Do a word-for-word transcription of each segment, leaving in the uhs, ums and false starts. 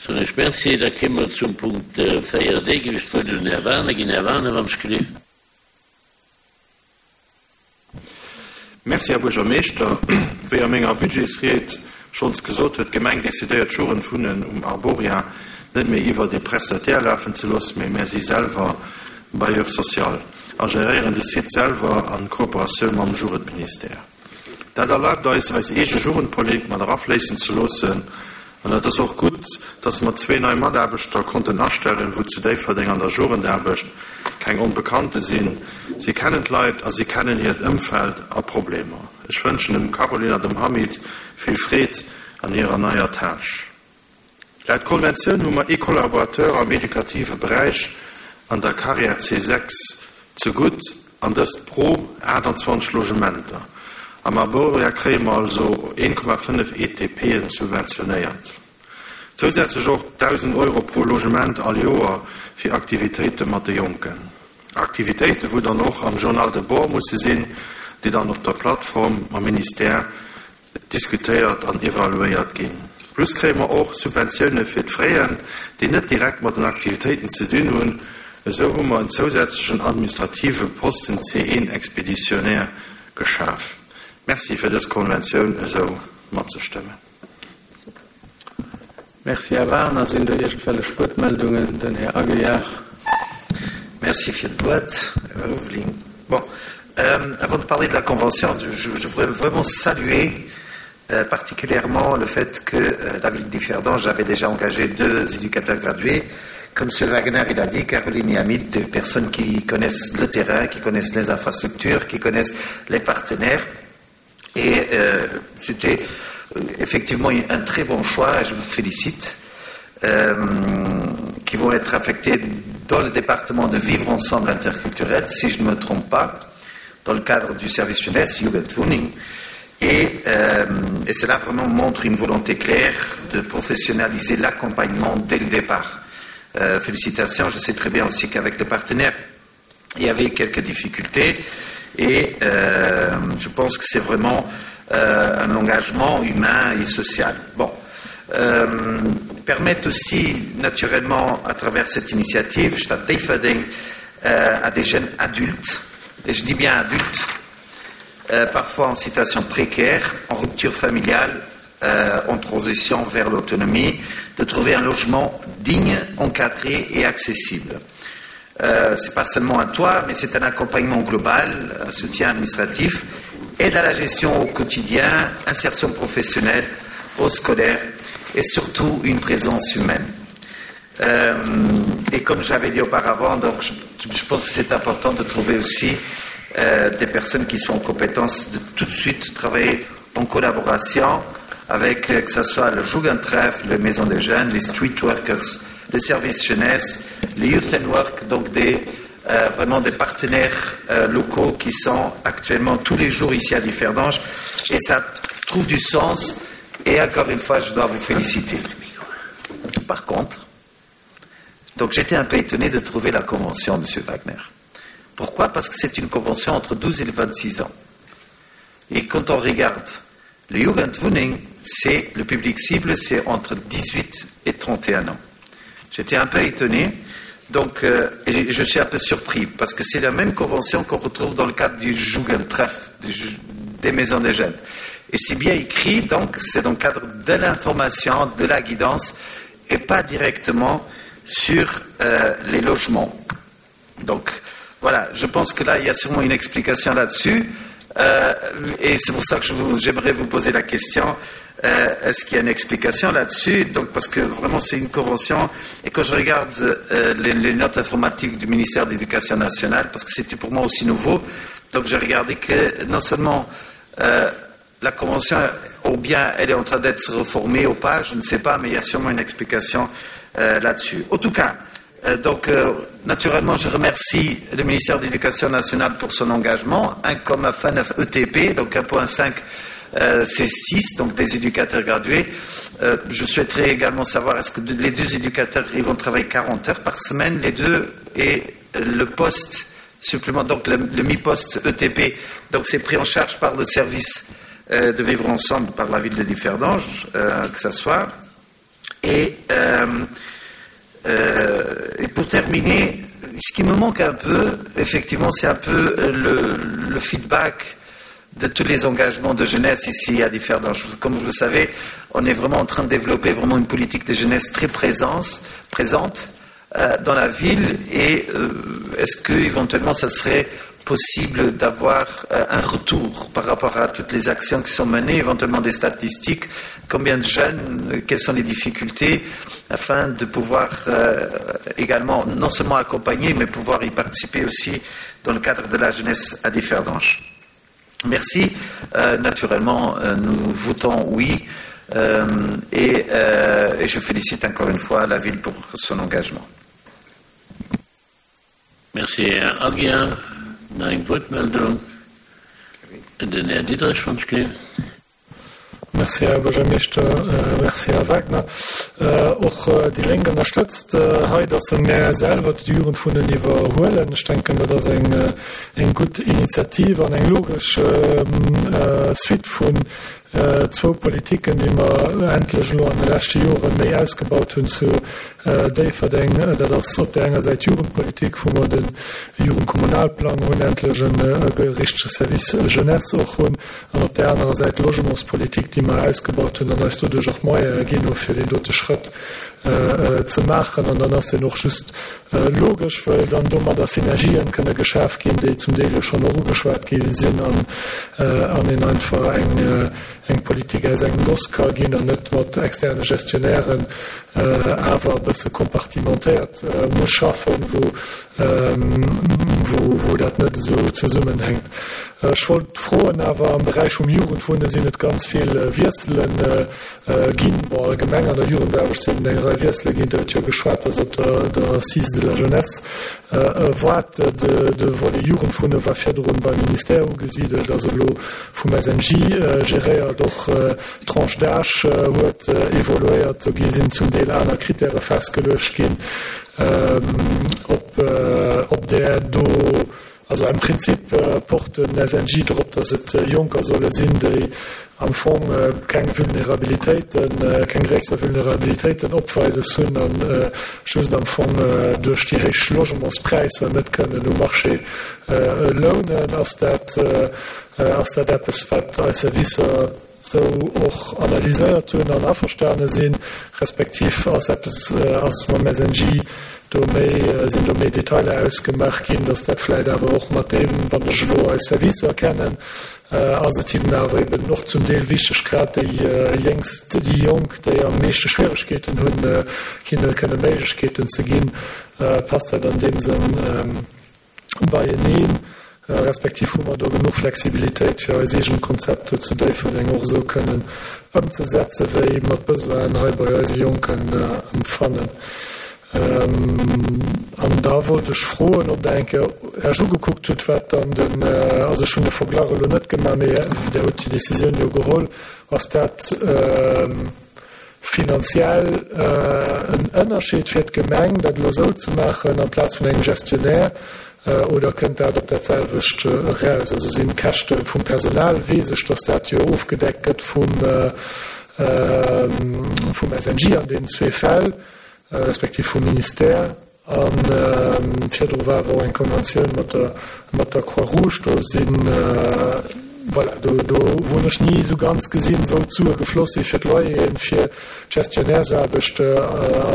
Soen ech Merci. Da kéime mer zum Punkt véier D. Géif ech d'Wuert un den Här Wagener ginn. Här Wagener, wann ech gelift. Merci, Här Buergermeeschter. Wéi a menger Budgetsried schonns gesot, huet d'Gemeng decidéiert, d'Jugendwunnen um Arboria net méi iwwert ee Prestataire lafen ze loossen, mee mär si selwer Bailleur social a geréieren de Site selwer a Kooperatioun mam Jugendministère. Dat erlaabt eis, eis eege Jugendpolitik mat erafléissen ze loossen. An et ass och gutt, dass mer zwee nei Mataarbechter konnten astellen, wou zu Déifferdeng an der Jugendaarbecht keng Onbekannte sinn. Si kennen d'Leit a si kennen hiert Ëmfeld a Problemer. Ech wënschen dem Caroline a dem Hamid vill Freed an hirer neier Tâche. Laut Konventioun hu mer ee Collaborateur am edukative Beräich an der Carrière C sechs zegutt, an dëst pro aachtanzwanzeg Logementer. Am Arboria kréie mer also een Komma fënnef E T P'en subventionéiert. Zousätzlech och dausend Euro pro Logement all Joer fir Aktivitéite mat de Jonken. Aktivitéite wou dann och am Journal de bord musse sinn, déi dann op der Plattform mam Ministère diskutéiert an evaluéiert ginn. Plus kréie mer och Subventioune fir d'Fraien, déi net direkt mat den Aktivitéiten ze dinn hunn. Esou hu mer en zousätzlechen administrative Posten C een Expéditionnaire geschaf. Merci fir dës Konventioun esou matzestëmmen. Merci, Här Wagener. Sinn do iergendwellech Wuertmeldungen? Den Här Aguiar. Merci fir d'Wuert, Här Ulveling. Bon, euh, avant de parler de la convention, je, je voudrais vraiment saluer, euh, particulièrement le fait que, euh, la ville de Differdange avait déjà engagé deux éducateurs gradués. Comme M. Wagner il a dit, Caroline et Hamid, des personnes qui connaissent le terrain, qui connaissent les infrastructures, qui connaissent les partenaires. Et, euh, c'était, euh, effectivement un très bon choix, et je vous félicite, euh, qui vont être affectés dans le département de Vivre Ensemble Interculturel, si je ne me trompe pas, dans le cadre du service jeunesse, Jugendwohning. Et, euh, et cela vraiment montre une volonté claire de professionnaliser l'accompagnement dès le départ. Euh, félicitations, je sais très bien aussi qu'avec le partenaire, il y avait quelques difficultés et, euh, je pense que c'est vraiment, euh, un engagement humain et social. Bon. Euh, permettent aussi, naturellement, à travers cette initiative, Stadt Déifferdeng, euh, à des jeunes adultes, et je dis bien adultes, euh, parfois en situation précaire, en rupture familiale, euh, en transition vers l'autonomie, de trouver un logement digne, encadré et accessible. Euh, c'est pas seulement un toit, mais c'est un accompagnement global, un soutien administratif, aide à la gestion au quotidien, insertion professionnelle, au scolaire et surtout une présence humaine. Euh, et comme j'avais dit auparavant, donc je, je pense que c'est important de trouver aussi, euh, des personnes qui sont en compétence de tout de suite travailler en collaboration avec, euh, que ce soit le Jugendtreff, les maisons des jeunes, les street workers, les services jeunesse, les youth and work, donc des, euh, vraiment des partenaires, euh, locaux qui sont actuellement tous les jours ici à Differdange, et ça trouve du sens, et encore une fois, je dois vous féliciter. Par contre, donc j'étais un peu étonné de trouver la convention, Monsieur Wagner. Pourquoi ? Parce que c'est une convention entre douze et vingt-six ans. Et quand on regarde le Jugendwohning, c'est le public cible, c'est entre dix-huit et trente et un ans. J'étais un peu étonné, donc, euh, et je, je suis un peu surpris, parce que c'est la même convention qu'on retrouve dans le cadre du Jugendtreff, du, des maisons des jeunes. Et c'est bien écrit, donc c'est dans le cadre de l'information, de la guidance, et pas directement sur, euh, les logements. Donc voilà, je pense que là, il y a sûrement une explication là-dessus. Euh, et c'est pour ça que je vous, j'aimerais vous poser la question, euh, est-ce qu'il y a une explication là-dessus ? Donc, parce que vraiment, c'est une convention. Et quand je regarde, euh, les, les notes informatiques du ministère de l'Éducation nationale, parce que c'était pour moi aussi nouveau, donc j'ai regardé que non seulement, euh, la convention, ou bien elle est en train d'être reformée ou pas, je ne sais pas, mais il y a sûrement une explication, euh, là-dessus. En tout cas, euh, donc, euh, naturellement, je remercie le ministère de l'Éducation nationale pour son engagement, un virgule cinq E T P, donc un virgule cinq, euh, c'est six, donc des éducateurs gradués. Euh, je souhaiterais également savoir, est-ce que les deux éducateurs ils vont travailler quarante heures par semaine, les deux, et le poste supplémentaire, donc le, le mi-poste E T P, donc c'est pris en charge par le service, euh, de vivre ensemble, par la ville de Differdange, euh, que ça soit. Et, euh, euh, et pour terminer, ce qui me manque un peu, effectivement, c'est un peu le, le feedback de tous les engagements de jeunesse ici à Differdange. Comme vous le savez, on est vraiment en train de développer vraiment une politique de jeunesse très présence, présente euh, dans la ville et euh, est-ce que éventuellement ça serait possible d'avoir euh, un retour par rapport à toutes les actions qui sont menées, éventuellement des statistiques, combien de jeunes, quelles sont les difficultés, afin de pouvoir euh, également non seulement accompagner, mais pouvoir y participer aussi dans le cadre de la jeunesse à Differdange. Merci. Euh, naturellement, euh, nous votons oui euh, et, euh, et je félicite encore une fois la ville pour son engagement. Merci, Här Aguiar. Nach eng Wuertmeldung. Den Här Diderich vum Spiel. Merci, Här Buergermeeschter. Äh, merci, Här Wagner. Äh, och äh, déi Lénk ënnerstëtzt hei, dass se mär selwer d'Jugendwunnen iwwerhuelen. Ech denken, dat ass eng, eng gutt Initiativ an eng logesch äh, Suite vun äh, zwou Politiken, déi mer endlech elo an de leschte Jore méi ausgebaut hunn zu äh, Déifferdeng. Dat ass op der enger Säit Jugendpolitik, wou mer de Jugendkommunalplang hunn, endlech en äh, richtege Service Jeunesse och hunn, an op der anerer Säit Logementspolitik, déi mer ausgebaut hunn an eis doduerch och Moyene ginn hu fir deen dote Schrëtt äh, ze maachen. An dann ass deen och just äh, logesch, well dann domadder Synergien kënne geschaf ginn, déi zum Deel jo schonn och ugeschwat gi sinn an, äh, an een einfach eng, äh, eng Politik aus engem Goss ka ginn an net mat externe Gestionnairen äh, awer e bësse kompartimentéiert äh, muss schaffen, wou, ähm, wou, wou dat net esou zesummenhänkt. Ech wollt froen, awer am Beräich vum Jugendwunne sinn et ganz vill Wiesselen äh, ginn. Bon, allgemeng an der Jugendaarbecht sinn eng Rei Wiessele ginn, Der hutt jo geschwat, dass op der, der Assise de la Jeunesse äh, waart. De, de Volet Jugendwunne war virdrun beim Ministère ugesidelt, ass elo vum S N J äh, geréiert, och äh, Tranche d'âge äh, huet äh, evoluéiert, do gi sinn zum Deel aner Kritäre festgeluecht ginn, ähm, ob, äh, ob der do also am Prinzip äh, pocht den S N J drop, dass et äh, Jonker solle sinn, déi am Fong äh, keng Vulnerabilitéiten, äh, keng gréisser Vulnerabilitéiten opweises hunn an äh, just am Fong äh, duerch déi héich Logementspräisser net kënnen um Marché äh, lounen. Ass dat, äh, ass dat eppes, wat eis Servicer sou och analyséiert hunn an averstane sinn, respektiv ass eppes äh, ass mam S N J do méi äh, sinn do méi Detailer ausgemaach ginn, dass dat vläicht awer och mat deem, wann ech elo eis Servicer kennen, äh, ass et hinnen awer eben och zum Deel wichteg, grad déi äh, Jéngst, déi Jonk, déi am meeschte Schwieregkeeten hunn, äh, hinne kënne Méiglechkeeten ze ginn, äh, passt dat an deem Sënn ähm, beieneen, äh, respektiv hu mer do genuch Flexibilitéit fir eis eegen Konzepter zu Déifferdeng och esou kënnen ëmzesetze wéi mer d'Besoinen hei bei eise Jonken äh, empfannen. Ähm, an da wollt ech froen, ob Der eng Kéier Iech ugekuckt hutt, wat dann den, äh, also ech hunn de Verglach elo net gemaach, mee Der hutt déi Decisioun jo geholl, ass dat ähm, finanziell äh, en Ënnerscheed fir d'Gemeng, dat elo sou ze maachen amplaz vun engem Gestionnaire, äh, oder kënnt dat op dat selwecht äh, eraus? Also sinn d'Käschte vum Personal, weess ech, dass dat jo ofgedeckt gëtt vum, äh, äh, vum S N J an deenen zwee Fäll, äh, respektiv vum Ministère. An ähm, virdru war awer och eng Konventioun mat der, mat der Croix-Rouge, do sinn, äh, voilà, do, do hunn ech ni sou ganz gesinn, wou d'Sue gefloss si fir d'Loyeren, fir d'Gestionnairesaarbecht, äh,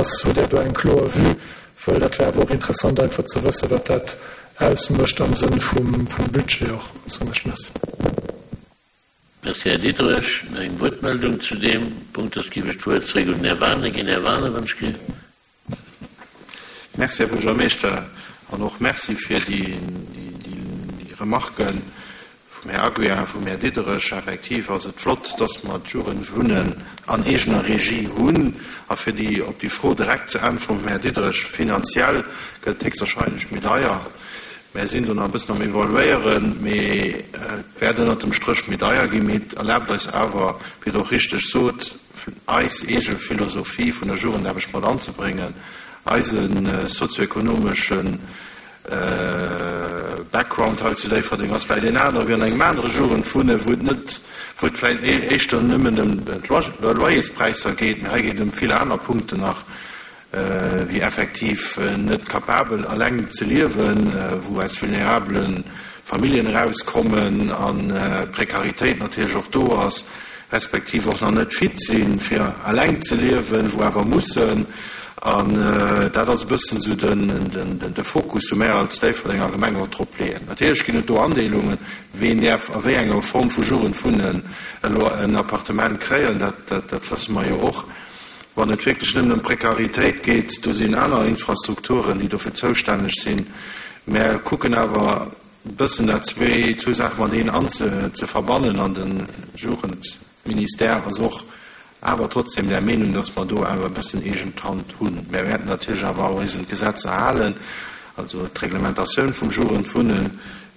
ass, hutt Der do eng kloer Vue, well dat wär awer och interessant einfach ze wëssen, wat dat ausmécht am Sënn vum, vum Budget och. Soen ech Merci. Merci, Här Diderich. Nach eng Wuertmeldung zu deem Punkt, soss ginn ech d'Wuert zréck un den Här Wagner ginn. Här Wagner, wann ech ge- Merci, Här Buergermeeschter, an och Merci fir déi, déi, déi, déi Remarken vum Här Aguiar a vum Här Diderich. Effektiv ass et flott, dass mer d'Jugendwunnen an eegener Regie hunn. A fir déi, op déi Fro direkt ze äntweren vum Här Diderich, finanziell gëtt et héchstwahrscheinlech méi deier. Mir sinn do nach e bëssen am Evaluéieren, mee et wäert ënnert dem Stréch méi deier ginn, mee et erlaabt eis awer, wéi Der och richteg sot, eis eege Philosophie vun der Jugendaarbecht mat anzebréngen, eise sozioekonomeschen Background hei zu Déifferdeng ass vläicht een anere wéi an engem anere Jugendwunnen, wou et net, wou et vläicht éischter nëmmen ëm d'Loyerspräisser geet, mee hei geet et ëm vill aner Punkten nach, wéi effektiv net capabel eleng ze liewen, wou aus vulnerabele Familljen erauskommen an Prekaritéit natierlech och do ass, respektiv och nach net fit sinn, fir eleng ze liewen, wou awer mussen. An dat ass e bëssen esou de Fokus, wou mär als Déifferdenger Gemeng och drop leeën. Natierlech ginn et do Andeelungen, ween däerf a wéi enger Form vu Jugendwunnen elo en Appartement kréien, dat wësse mer jo och. Wann et wierklech nëmmen ëm Prekaritéit geet, do sinn aner Infrastrukturen, déi dofir zoustänneg sinn. Mär kucken awer e bëssen dat zwee, zwou Saache mateneen an ze verbannen an de Jugendministère ass och awer trotzdem der Meenung, dass mer do awer e bëssen eegen d'Hand hunn. Mär wäerten natierlech awer och eis un d'Gesetzer halen, also d'Reglementatioun vum Jugendwunnen,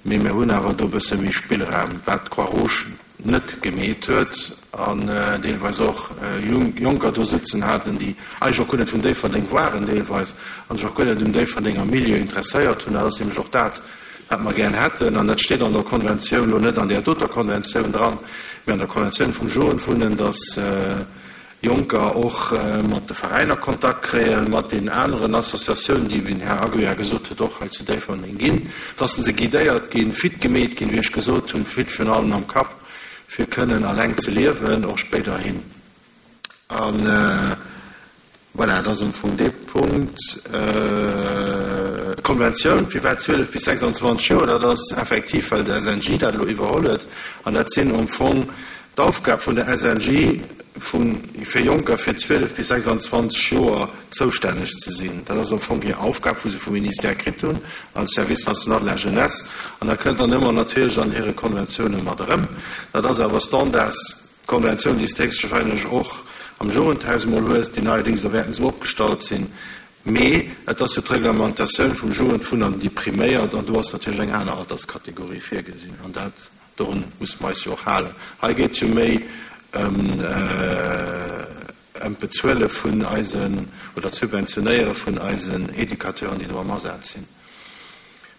mee mir hunn awer do e bësse méi Spillraum, wat d'Croix-Rouge net gemeet huet an deelweis och Jonker do sëtzen haten, déi eigentlech och guer net vun Déifferdeng waren deelweis an sech och guer net um Déifferdenger Milieu interesséiert hunn. Dat ass nämlech och dat, wat mer gär hätten, an dat steet an der Konventioun, elo net an där doter Konventioun dran, mä an der Konventioun vum Jugendwunnen, dass Jonker och mat de Veräiner Kontakt kréien, mat deenen aneren Associatiounen, déi, wéi den Här Aguiar gesot huet, och hei zu Déifferdeng ginn, dass se guidéiert ginn, fit gemeet ginn, wéi ech gesot hunn, fit virun allem am Kapp, fir kënnen eleng ze liewen, och spéiderhin. An voilà, dat ass am Fong dee Punkt. D'Konventioun, firwat zwielef bis sechsandzwanzeg Joer, dat ass effektiv, well de S N J dat elo iwwerholl huet. An dat sinn am Fong d'Aufgab vun der S N J, vun, fir Jonker fir zwielef bis sechsandzwanzeg Joer zoustänneg ze sinn. Dat ass am Fong hir Aufgab, wou se vum Ministère kritt hunn, als Service national de la jeunesse. An dat kënnt dann ëmmer natierlech an hire Konventiounen mat erëm. Dat ass awer Standardskonventioun, déi s de héchstwahrscheinlech och am Jugendhaus emol hues, déi neierdings elo wäerten esou opgestallt sinn. Mee et ass jo d'Reglementatioun vum Jugendwunnen, déi priméiert, an do ass natierlech eng aner Alterskategorie virgesinn. An dat, dorun musse mer eis jo och halen. Hei geet jo méi ëm, ëm d'Bezuele vun eisen, oder d'Subventionéiere vun eisen Educateuren, déi do am Asaz sinn.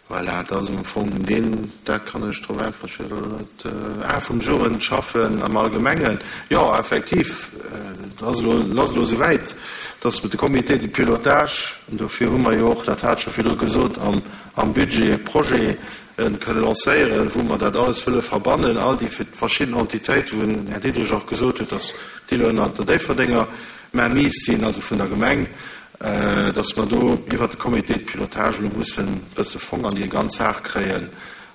Voilà, dat ass am Fong deen, dat kann ech drop äntweren, ech weess elo net, ah, vum Jugendschaffen am Allgemengen. Jo, effektiv, et ass elo, et ass elo esouwäit, dass de Comité de pilotage, an dofir hu mer jo och, dat hat ech scho virdru gesot, am, am Budget e Projet kënne lancéieren, wou mer dat alles wëlle verbannen, all déi verschidden Entitéiten, wou den Här Diderich och gesot huet, dass déi elo ënnert der Déifferdenger Mainmise sinn, also vun der Gemeng, dass mer do iwwert de Comité de pilotage elo mussen e bësse Fong an déi ganz Saach kréien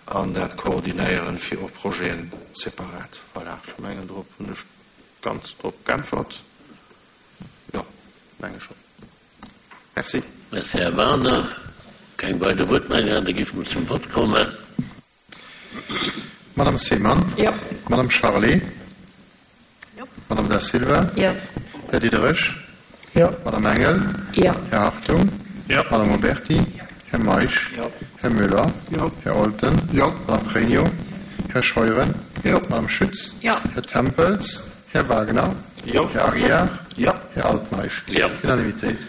an dat koordinéieren, fir och Projeten separat. Voilà, ech mengen, drop hunn ech ganz drop geäntwert. Jo, menge schonn. Merci. Merci, Här Wagener. Keng weider Wuertmeldungen, da géife mer zum Vott kommen. Madame Seemann. Jo. Madame Charlé. Jo. Madame Da Silva. Jo. Här Diderich. Jo. Madame Engel. Jo. Här Hartung. Jo. Madame Oberti. Jo. Här Meisch. Jo. Här Müller. Jo. Här Olten. Jo. Madame Pregno. Här Scheuren. Jo. Madame Schütz. Jo. Här Tempels. Här Wagner. Jo. Här Aguiar. Jo. Här Altmeisch. Jo. Unanimitéit.